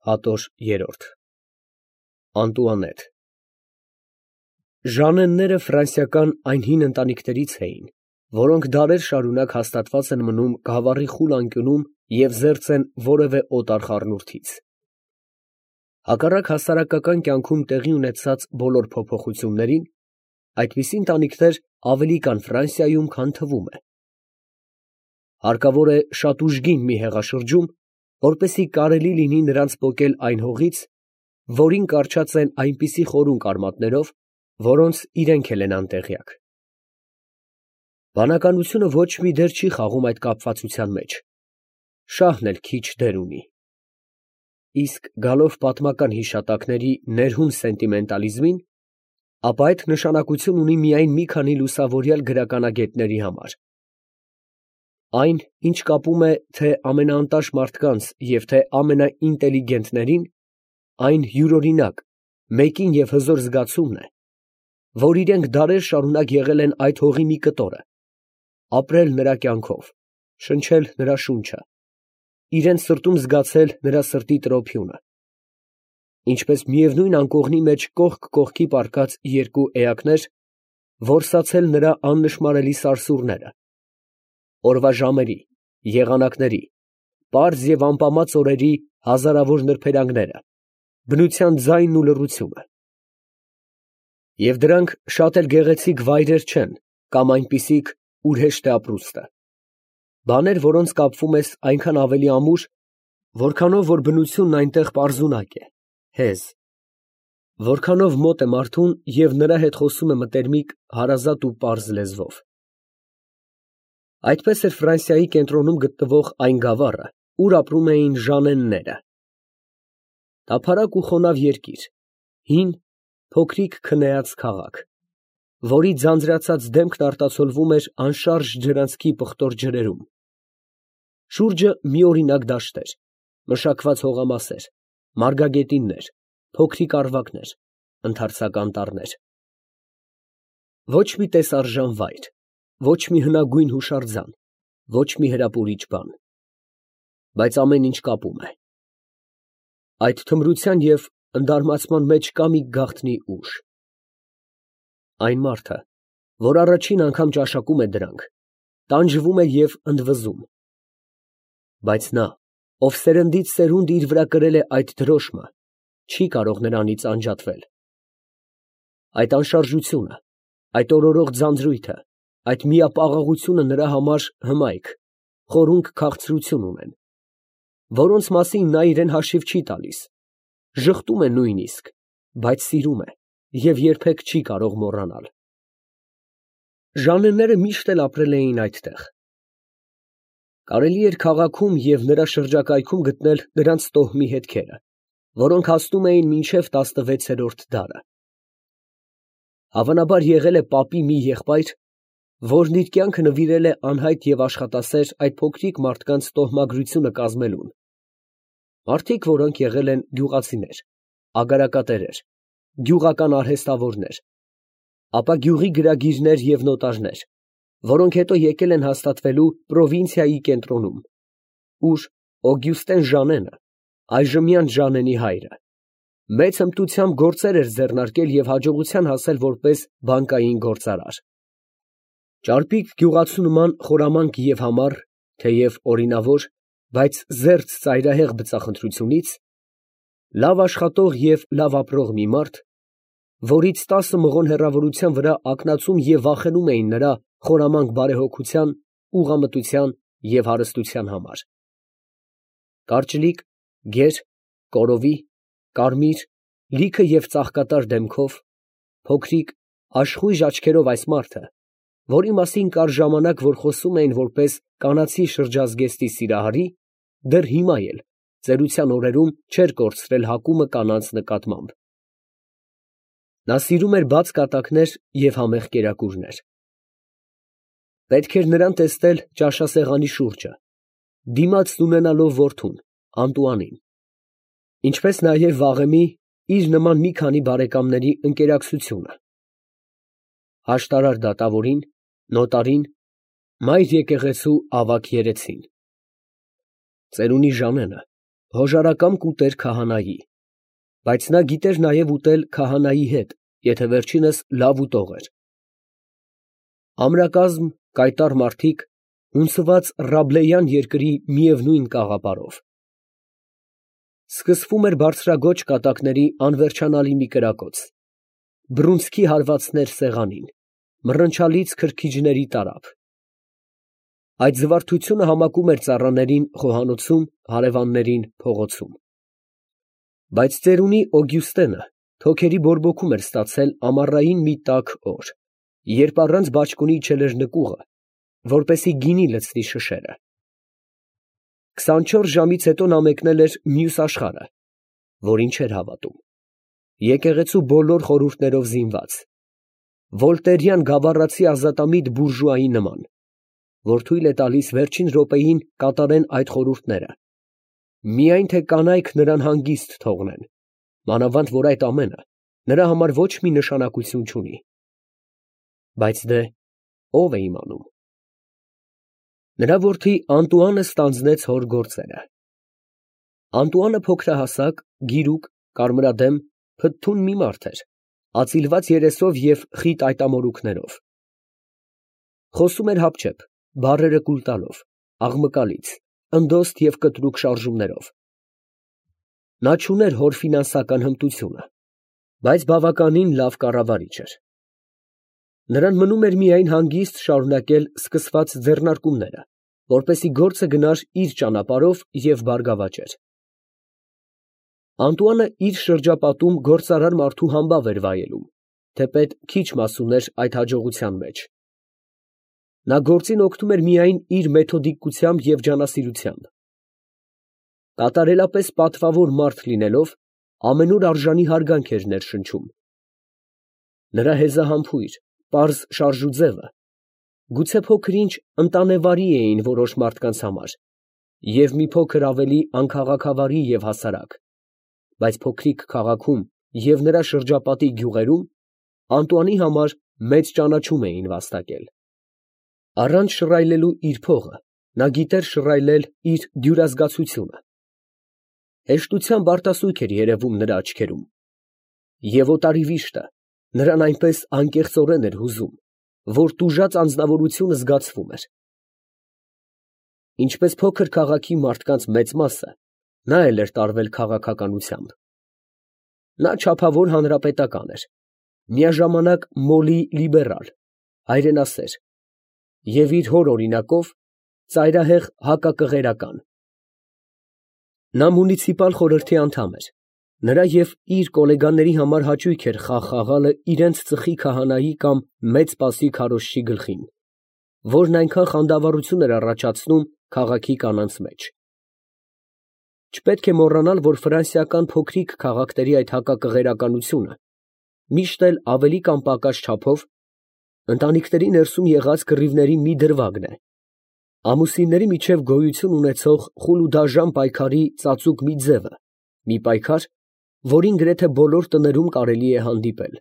Հատոր 3 Անտուանետ Ժանենները ֆրանսիական այն հին ընտանիքներից էին, որոնք դարեր շարունակ հաստատված են մնում գավառի խուլ անկյունում և զերծ են որևէ օտար խառնուրդից։ Հակառակ հասարակական կյանքում տեղի ունեցած բոլոր փոփոխություններին, այդպիսի ընտանիքներ ավելի կան Ֆրանսիայում, քան թվում է։ Հարկավոր է շատ ուժգին մի հեղաշրջում, որպեսզի կարելի լինի նրանց պոկել այն հողից, որին կառչած են այնպիսի խորուն արմատներով, որոնց իրենք էլ են անտեղյակ։ Բանականությունը ոչ մի դեր չի խաղում այդ կապվածության մեջ, շահն էլ քիչ դեր ունի։ Իսկ գալով պատմական հիշատակների ներհուն սենտիմենտալիզմին, ապա այդ նշանակություն ունի միայն մի քանի լուսավորյալ գրականագետների համար։ Այն, ինչ կապում է թե ամենաանտաշ մարդկանց և թե ամենաինտելիգենտներին, այն յուրօրինակ, մեկին և հզոր զգացումն է, որ իրենք դարեր շարունակ եղել են այդ հողի մի կտորը, ապրել նրա կյանքով, շնչել նրա շունչը, իրենց սրտում զգացել նրա սրտի տրոփյունը, ինչպես միևնույն անկողնի մեջ կողք կողքի պառկած երկու էակներ, որսացել նրա աննշմարելի սարսուռները, օրվա ժամերի, եղանակների, պարզ և ամպամած օրերի հազարավոր նրբերանգները, բնության ձայնն ու լռությունը։ Եվ դրանք շատ էլ գեղեցիկ վայրեր չեն, կամ այնպիսիք, ուր հեշտ է ապրուստը, բաներ, որոնց կապվում ես այնքան ավելի ամուր, որքանով որ բնությունն այնտեղ պարզունակ է, հեզ, որքանով մոտ է մարդուն և նրա հետ խոսում է մտերմիկ, հարազատ ու պարզ լեզվով։ Այդպես էր Ֆրանսիայի կենտրոնում գտնվող այն գավառը, ուր ապրում էին ժանենները։ Տափարակ ու խոնավ երկիր, հին, փոքրիկ քնեած քաղաք, որի ձանձրացած դեմքն արտացոլվում էր անշարժ ջրանցքի պղտոր ջրերում։ Շուրջը միօրինակ դաշտեր, մշակված հողամասեր, մարգագետիններ, փոքրիկ առվակներ, ընդարձակ անտառներ։ Ոչ մի տեսարժան վայր, ոչ մի հնագույն հուշարձան, ոչ մի հրապուրիչ բան, բայց ամեն ինչ կապում է։ Այդ թմրության և ընդարմացման մեջ կա մի գաղտնի ուժ։ Այն մարդը, որ առաջին անգամ ճաշակում է դրանք, տանջվում է և ընդվզում, բայց նա, ով սերնդից սերունդ իր վրա կրել է այդ դրոշմը, չի կարող նրանից անջատվել։ Այդ անշարժությունը, այդ օրորող ձանձրույթը, այդ միապաղաղությունը նրա համար հմայք, խորունկ քաղցրություն ունեն, որոնց մասին նա իրան հաշիվ չի տալիս, ժխտում է նույնիսկ, բայց սիրում է և երբեք չի կարող մոռանալ։ Ժանենները միշտ էլ ապրել էին այդտեղ։ Կարելի էր քաղաքում և նրա շրջակայքում գտնել նրանց տոհմի հետքերը, որոնք հասնում էին մինչև 16-րդ դարը։ Հավանաբար եղել է պապի մի եղբայր, որն իր կյանքը նվիրել է անհայտ և աշխատասեր այդ փոքրիկ մարդկանց տոհմագրությունը կազմելուն, մարդիկ, որոնք եղել են գյուղացիներ, ագարակատերեր, գյուղական արհեստավորներ, ապա գյուղի գրագիրներ և նոտարներ, որոնք հետո եկել են հաստատվելու պրովինցիայի կենտրոնում, ուր Օգյուստեն Ժանենը, այժմյան Ժանենի հայրը, մեծ հմտությամբ գործեր էր ձեռնարկել և հաջողության հասել որպես բանկային գործարար։ Ճարպիկ գյուղացու նման խորամանկ և համառ, թեև օրինավոր, բայց զերծ ծայրահեղ բծախնդրությունից, լավ աշխատող և լավ ապրող մի մարդ, որից 10 մղոն հեռավորության վրա ակնածում և վախենում էին նրա խորամանկ բարեհոգության, ուղղամտության և հարստության համար։ Կարճլիկ, գեր, կորովի, կարմիր, լիքը և ծաղկատար դեմքով, փոքրիկ, աշխույժ աչքերով այս մարդը, որի մասին կար ժամանակ, որ խոսում էին որպես կանացի շրջազգեստի սիրահարի, դեռ հիմա էլ, ծերության օրերում, չէր կորցրել հակումը կանանց նկատմամբ։ Նա սիրում էր բաց կատակներ և համեղ կերակուրներ։ Պետք էր նրան տեսնել ճաշասեղանի շուրջը, դիմացն ունենալով որդուն, Անտուանին, ինչպես նաև վաղեմի իր նման մի քանի բարեկամների ընկերակցությունը, հաշտարար դատավորին, նոտարին, մայր եկեղեցու ավագ երեցին։ Ծերունի Ժանենը, հոժարակամ կուտեր քահանայի, բայց նա գիտեր նաև ուտել քահանայի հետ, եթե վերջինս լավ ուտող էր։ Ամրակազմ, կայտառ մարդիկ, հունցված Ռաբլեյան երկրի միևնույն կաղապարով։ Սկսվում էր բարձրագոչ կատակների անվերջանալի մի կրակոց, բռունցքի հարվածներ սեղանին, մռնչալից քրքիջների տարափ։ Այդ զվարթությունը համակում էր ծառաներին խոհանոցում, հարևաններին փողոցում։ Բայց ծերունի Օգյուստենը թոքերի բորբոքում էր ստացել ամառային մի տաք օր, երբ առանց բաճկոնի իջել էր նկուղը, որպեսզի գինի լցնի շշերը։ 24 ժամից հետո նա մեկնել էր մյուս աշխարհը, որին չէր հավատում, եկեղեցու բոլոր խորհուրդներով զինված, վոլտերյան գավառացի ազատամիտ բուրժուայի նման, որ թույլ է տալիս վերջին րոպեին կատարեն այդ խորհուրդները, միայն թե կանայք նրան հանգիստ թողնեն, մանավանդ որ այդ ամենը նրա համար ոչ մի նշանակություն չունի։ Բայց դե ո՞վ է իմանում։ Նրա որդի Անտուանը ստանձնեց հոր գործերը։ Անտուանը փոքրահասակ, գիրուկ, կարմրադեմ, փթթուն մի մարդ էր, ածիլված երեսով և խիտ այտամորուքներով։ Խոսում էր հապճեպ, բառերը կուլ տալով, աղմկալից, ընդոստ և կտրուկ շարժումներով։ Նա չուներ հոր ֆինանսական հմտությունը, բայց բավականին լավ կառավարիչ էր։ Նրան մնում էր միայն հանգիստ շարունակել սկսված ձեռնարկումները, որպեսզի գործը գնար իր ճանապարհով և բարգավաճեր։ Անտուանը իր շրջապատում գործարար մարդու համբավ էր վայելում, թեպետ քիչ մաս ուներ այդ հաջողության մեջ։ Նա գործին օգնում էր միայն իր մեթոդիկությամբ և ջանասիրությամբ։ Կատարելապես պատվավոր մարդ լինելով, ամենուր արժանի հարգանք էր ներշնչում։ Նրա հեզահամբույր, պարզ շարժուձևը գուցե փոքր-ինչ ընտանեվարի էին որոշ մարդկանց համար և մի փոքր ավելի անքաղաքավարի և հասարակ, բայց փոքրիկ քաղաքում և նրա շրջապատի գյուղերում Անտուանի համար մեծ ճանաչում էին վաստակել։ Առանց շռայլելու իր փողը, նա գիտեր շռայլել իր դյուրազգացությունը։ Հեշտությամբ արտասուք էր երևում նրա աչքերում, և օտարի վիշտը նրան այնպես անկեղծորեն էր հուզում, որ տուժած անձնավորությունը զգացվում էր։ Ինչպես փոքր քաղաքի մարդկանց մեծ մասը, նա էլ էր տարվել քաղաքականությամբ։ Նա չափավոր հանրապետական էր, միաժամանակ մոլի լիբերալ, հայրենասեր և իր հոր օրինակով ծայրահեղ հակակղերական։ Նա մունիցիպալ խորհրդի անդամ էր, նրա և իր գոլեգաների համար հաճույք էր խաղ խաղալը իրենց ծխի քահանայի կամ մեծ Սպասի քարոզչի գլխին, որն այնքան խանդավառություն էր առաջացնում քաղաքի կանանց մեջ։ Չպետք է մոռանալ, որ ֆրանսիական փոքրիկ քաղաքների այդ հակակղերականությունը միշտ էլ ավելի կամ պակաս չափով ընտանիքների ներսում եղած կռիվների մի դրվագն է, ամուսինների միջև գոյություն ունեցող խուլ ու դաժան պայքարի ծածուկ մի ձևը, մի պայքար, որին գրեթե բոլոր տներում կարելի է հանդիպել։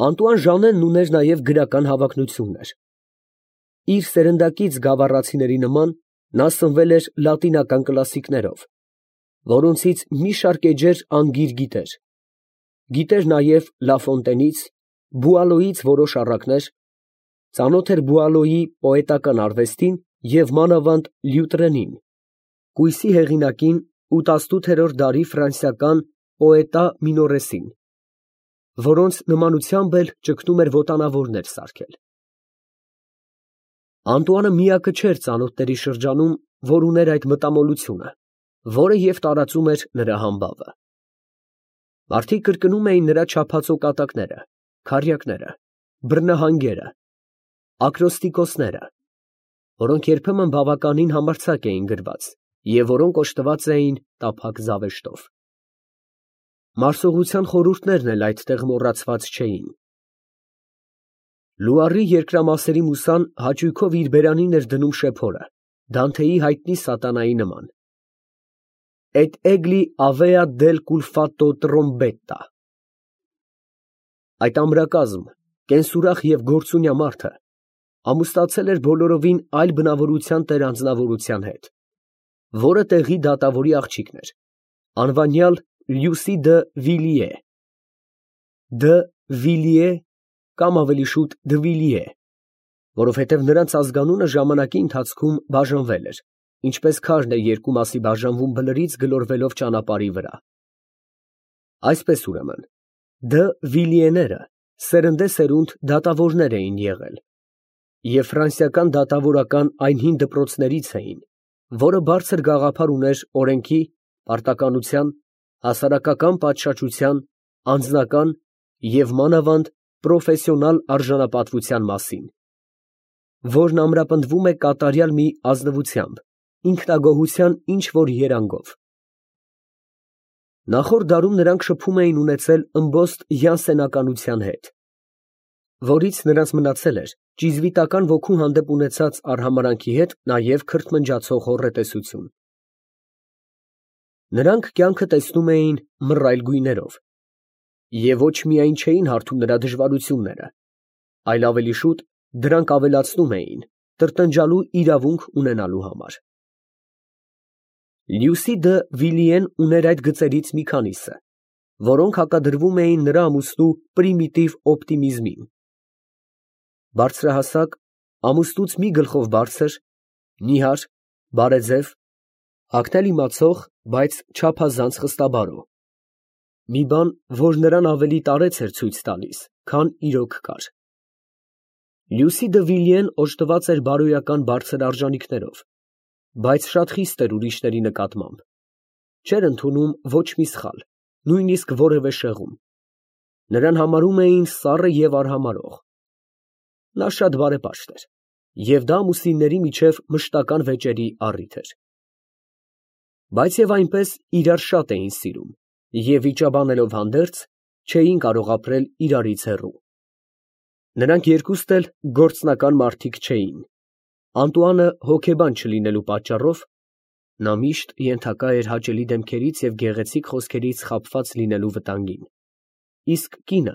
Անտուան Ժանենն ուներ նաև գրական հավակնություններ։ Իր սերնդակից գավառացիների նման նա սնվել էր լատինական կլասիկներով, որոնցից մի շարք էջեր անգիր գիտեր։ Գիտեր նաև Լաֆոնտենից, Բուալոյից որոշ առակներ, ծանոթ էր Բուալոյի պոետական արվեստին և մանավանդ Լյուտրենին, կույսի հեղինակին ու 18-րդ դարի ֆրանսիական պոետա Մինորեսին, որոնց նմանությամբ էլ ճգնում էր ոտանավորներ սարքել։ Անտուանը միակը չէր ծանոթների շրջանում, որ ուներ այդ մտամոլությունը, որը և տարածում էր նրա համբավը։ Մարդիկ կրկնում էին նրա չափածո կատակները, քառյակները, բռնահանգերը, ակրոստիկոսները, որոնք երբեմն բավականին համարձակ էին գրված և որոնք օժտված էին տափակ զավեշտով։ Մարսողության խորհուրդներն էլ այդտեղ մոռացված չէին։ Լուարի երկրամասերի մուսան հաճույքով իր բերանին էր դնում շեփորը, Դանթեի հայտնի սատանայի նման. «Et egli avea del culfato trombetta»։ Այդ ամրակազմ, կենսուրախ և գործունյա մարդը ամուսնացել էր բոլորովին այլ բնավորության տեր անձնավորության հետ, որը տեղի դատավորի աղջիկն էր, անվանյալ Լյուսի դը Վիլիե, դը Վիլիե կամ ավելի շուտ Դվիլիե, որովհետև նրանց ազգանունը ժամանակի ընթացքում բաժանվել էր, ինչպես քարն է երկու մասի բաժանվում բլրից գլորվելով ճանապարհի վրա։ Այսպես ուրեմն, դը Վիլիեները սերնդեսերունդ դատավորներ էին եղել, և ֆրանսիական դատավորական այն հին դպրոցներից էին, որը բարձր գաղափար ուներ օրենքի, պարտականության, հասարակական պատշաճության, անձնական և մանավանդ պրոֆեսիոնալ արժանապատվության մասին, որն ամրապնդվում է կատարյալ մի ազնվությամբ, ինքնագոհության ինչ-որ երանգով։ Նախորդ դարում նրանք շփում էին ունեցել ըմբոստ յանսենականության հետ, որից նրանց մնացել էր ճիզվիտական ոգու հանդեպ ունեցած արհամարհանքի հետ նաև քրթմնջացող հոռետեսություն։ Նրանք կյանքը տեսնում էին մռայլ գույներով, և ոչ միայն չէին հարթում նրա դժվարությունները, այլ ավելի շուտ դրանք ավելացնում էին տրտնջալու իրավունք ունենալու համար։ Լյուսի դը Վիլիեն ուներ այդ գծերից մի քանիսը, որոնք հակադրվում էին նրա ամուսնու պրիմիտիվ օպտիմիզմին։ Բարձրահասակ, ամուսնուց մի գլխով բարձր, նիհար, բարեձև, հագնել իմացող, բայց չափազանց խստաբարո, մի բան, որ նրան ավելի տարեց էր ցույց տալիս, քան իրոք կար։ Լյուսի դը Վիլիեն օժտված էր բարոյական բարձր արժանիքներով, բայց շատ խիստ էր ուրիշների նկատմամբ, չէր ընդունում ոչ մի սխալ, նույնիսկ որևէ շեղում, նրան համարում էին սառը և արհամարհող։ Նա շատ բարեպաշտ էր, և դա ամուսինների միջև մշտական վեճերի առիթ էր։ Բայց և այնպես իրար շատ էին սիրում և վիճաբանելով հանդերձ, չէին կարող ապրել իրարից հեռու։ Նրանք երկուստ էլ գործնական մարդիկ չէին, Անտուանը հոգեբան չլինելու պատճառով նա միշտ ենթակա էր հաճելի դեմքերից և գեղեցիկ խոսքերից խաբված լինելու վտանգին, իսկ կինը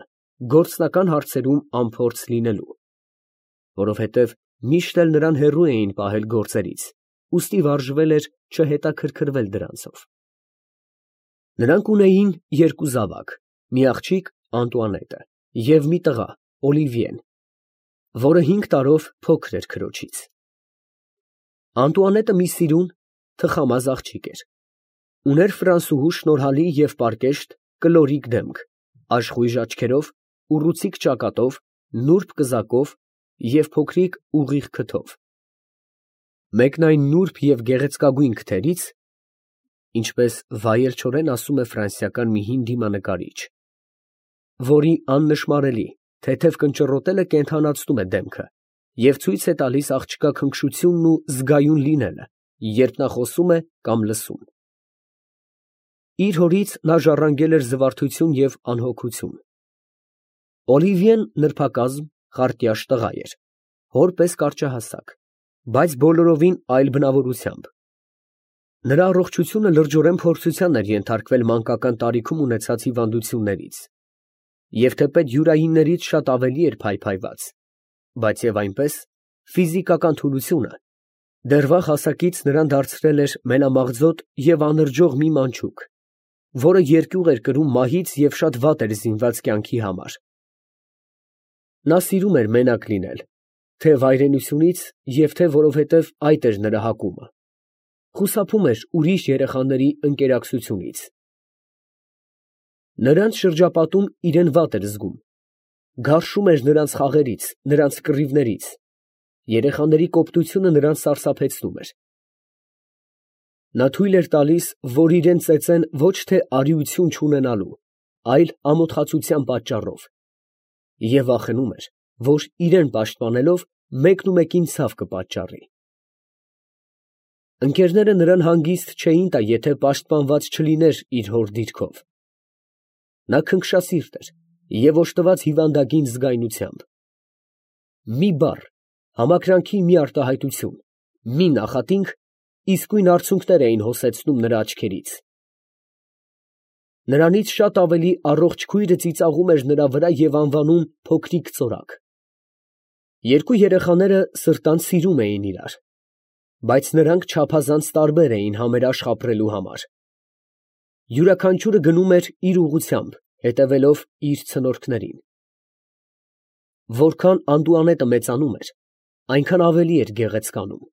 գործնական հարցերում անփորձ լինելու, որովհետև միշտ էլ նրան հեռու էին պահել գործերից, ուստի վարժվել էր չհետաքրքրվել դրանցով։ Նրանք ունեին երկու զավակ, մի աղջիկ Անտուանետը և մի տղա Օլիվիեն, որը 5 տարով փոքր էր քրոջից։ Անտուանետը մի սիրուն, թխամազ աղջիկ էր, ուներ ֆրանսուհու շնորհալի և պարկեշտ կլորիկ դեմք, աշխույժ աչքերով, ուռուցիկ ճակատով, նուրբ կզակով և փոքրիկ ուղիղ քթով, մեկն այն նուրբ և գեղեցկագույն քթերից, ինչպես վայելչորեն ասում է ֆրանսիական մի հին դիմանկարիչ, որի աննշմարելի, թեթև կնճռոտելը կենդանացնում է դեմքը և ցույց է տալիս աղջկա քնքշությունն ու զգայուն լինելը, երբ նա խոսում է կամ լսում։ Իր հորից նա ժառանգել էր զվարթություն և անհոգություն։ Օլիվիեն նրբակազմ, խարտյաշ տղա էր, հոր պես կարճահասակ, բայց բոլորովին այլ բնավորությամբ։ Նրա առողջությունը լրջորեն փորձության էր ենթարկվել մանկական տարիքում ունեցած հիվանդություններից, և թեպետ յուրայիններից շատ ավելի էր փայփայված, բայց և այնպես ֆիզիկական թուլությունը դեռ վաղ հասակից նրան դարձրել էր մենամաղձոտ և անրջող մի մանչուկ, որը երկյուղ էր կրում մահից և շատ վատ էր զինված կյանքի համար։ Նա սիրում էր մենակ լինել, թե վայրենությունից և թե որովհետև այդ էր նրա հակումը, խուսափում էր ուրիշ երեխաների ընկերակցությունից։ Նրանց շրջապատում իրեն վատ էր զգում, գարշում էր նրանց խաղերից, նրանց կռիվներից, երեխաների կոպտությունը նրան սարսափեցնում էր։ Նա թույլ էր տալիս, որ իրան ծեծեն ոչ թե արիություն չունենալու, այլ ամոթխածության պատճառով, և վախենում էր, որ իրան պաշտպանելով մեկնումեկին ցավ կպատճառի։ Ընկերները նրան հանգիստ չէին տա, եթե պաշտպանված չլիներ իր հոր դիրքով։ Նա քնքշասիրտ էր և օժտված հիվանդագին զգայնությամբ։ Մի բառ, համակրանքի մի արտահայտություն, մի նախատինք իսկույն արցունքներ էին հոսեցնում նրա աչքերից։ Նրանից շատ ավելի առողջ քույրը ծիծաղում էր նրա վրա և անվանում փոքրիկ ծորակ։ Երկու երեխաները սրտանց սիրում էին իրար, բայց նրանք չափազանց տարբեր էին համերաշխ ապրելու համար։ Յուրաքանչյուրը գնում էր իր ուղղությամբ, հետևելով իր ցնորքներին։ Որքան Անդուանետը մեծանում էր, այնքան ավելի էր գեղեցկանում։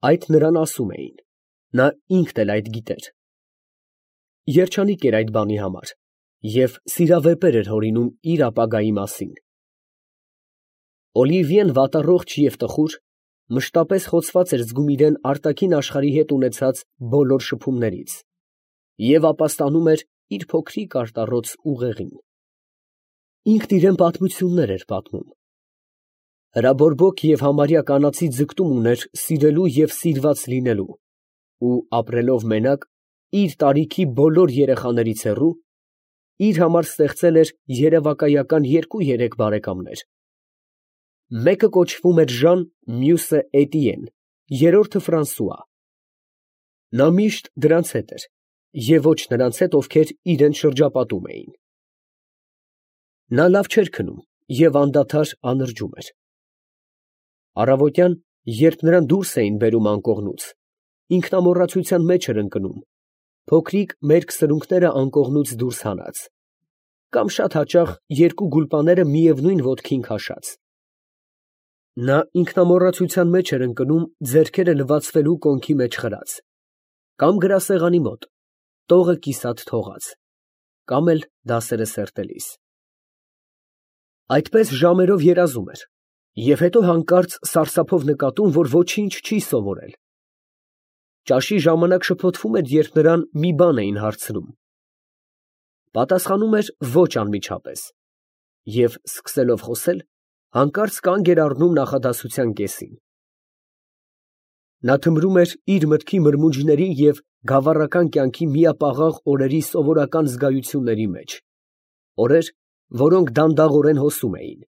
Այդ նրան ասում էին, նա ինքն էլ այդ գիտեր։ Երջանիկ էր այդ բանի համար և սիրավեպեր էր հորինում իր ապագայի մասին։ Օլիվիեն վատառողջ և տխուր, մշտապես խոցված էր զգում իրան արտաքին աշխարհի հետ ունեցած բոլոր շփումներից և ապաստանում էր իր փոքրիկ արտառոց ուղեղին։ Ինքն իրան պատմություններ էր պատմում։ Հրաբորբոք և համարյա կանացի ձգտում ուներ սիրելու և սիրված լինելու ու ապրելով մենակ, իր տարիքի բոլոր երեխաներից հեռու, իր համար ստեղծել էր երևակայական երկու֊երեք բարեկամներ. մեկը կոչվում էր Ժան, մյուսը Էտիեն, երրորդը Ֆրանսուଆ։ Նա միշտ դրանց հետ էր և ոչ նրանց հետ, ովքեր իրան շրջապատում էին։ Նա լավ չէր քնում և անդադար անրջում էր։ Առավոտյան, երբ նրան դուրս էին բերում անկողնուց, ինքնամոռացության մեջ էր ընկնում, փոքրիկ մերկ սրունքները անկողնուց դուրս հանած, կամ շատ հաճախ երկու գուլպաները միևնույն ոտքին քաշած։ Նա ինքնամոռացության մեջ էր ընկնում ձեռքերը լվացվելու կոնքի մեջ խրած, կամ գրասեղանի մոտ, տողը կիսատ թողած, կամ էլ դասերը սերտելիս։ Այդպես ժամերով երազում էր և հետո հանկարծ սարսափով նկատում, որ ոչինչ չի սովորել։ Ճաշի ժամանակ շփոթվում էր, երբ նրան մի բան էին հարցնում։ Պատասխանում էր ոչ անմիջապես և, սկսելով խոսել, հանկարծ կանգ էր առնում նախադասության կեսին։ Նա թմրում էր իր մտքի մրմունջների և գավառական կյանքի միապաղաղ օրերի սովորական զգայությունների մեջ, օրեր, որոնք դանդաղորեն հոսում էին։